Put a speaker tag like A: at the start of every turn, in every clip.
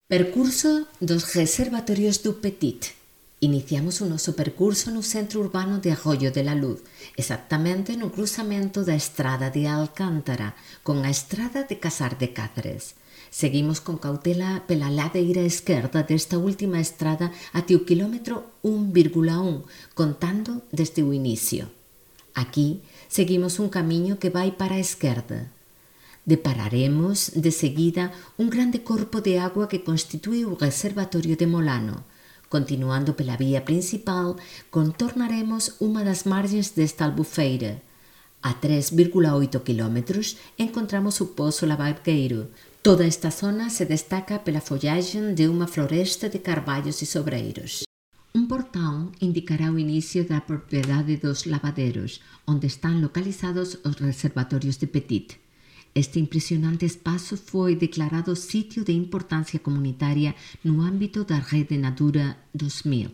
A: Percurso dos reservatorios do Petit. Iniciamos o noso percurso no centro urbano de Arroyo de la Luz, exactamente no cruzamento da estrada de Alcántara con a estrada de Casar de Cáceres. Seguimos con cautela pela ladeira esquerda desta última estrada até o quilómetro 1,1, contando desde o inicio. Aquí seguimos un camiño que vai para a esquerda. Depararemos, de seguida, un grande corpo de agua que constitúe o reservatorio de Molano. Continuando pela vía principal, contornaremos unha das margens desta albufeira. A 3,8 km encontramos o Pozo Labarqueiro. Toda esta zona se destaca pela follaxe de unha floresta de carballos e sobreiros. Un portón indicará o inicio da propiedade dos lavaderos, onde están localizados os reservatorios de Petit. Este impresionante espazo foi declarado sitio de importancia comunitaria no ámbito da Rede Natura 2000.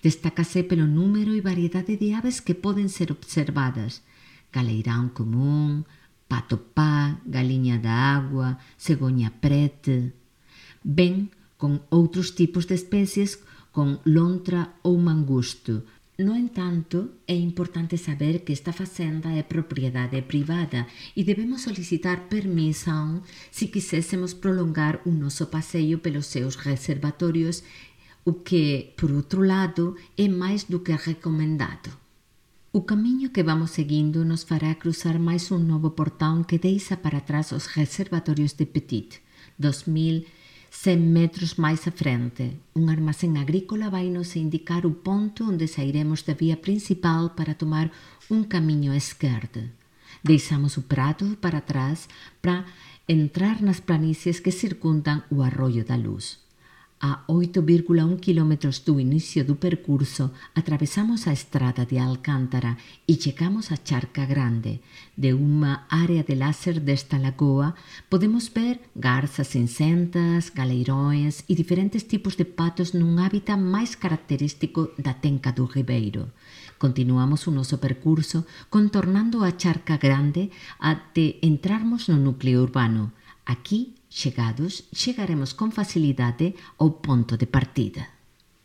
A: Destácase pelo número e variedade de aves que poden ser observadas: galeirán común, pato pá, galiña da agua, cegoña prete, ben con outros tipos de especies con lontra ou mangusto. No entanto, é importante saber que esta facenda é propiedade privada e debemos solicitar permissão se quisésemos prolongar o noso passeio pelos seus reservatorios, o que, por outro lado, é máis do que recomendado. O camiño que vamos seguindo nos fará cruzar máis un novo portón que deixa para trás os reservatorios de Petit, 2100 metros máis à frente. Un armazén agrícola vai-nos indicar o ponto onde sairemos da vía principal para tomar un camiño á esquerda. Deixamos o prato para trás para entrar nas planícies que circundan o Arroyo da Luz. A 8,1 km do inicio do percurso, atravesamos a estrada de Alcántara e chegamos á Charca Grande. De unha área de láser desta lagoa, podemos ver garzas cinzentas, galeirões e diferentes tipos de patos nun hábitat máis característico da tenca do Ribeiro. Continuamos o noso percurso contornando a Charca Grande até entrarmos no núcleo urbano. Aquí, chegados, chegaremos con facilidade ao ponto de partida.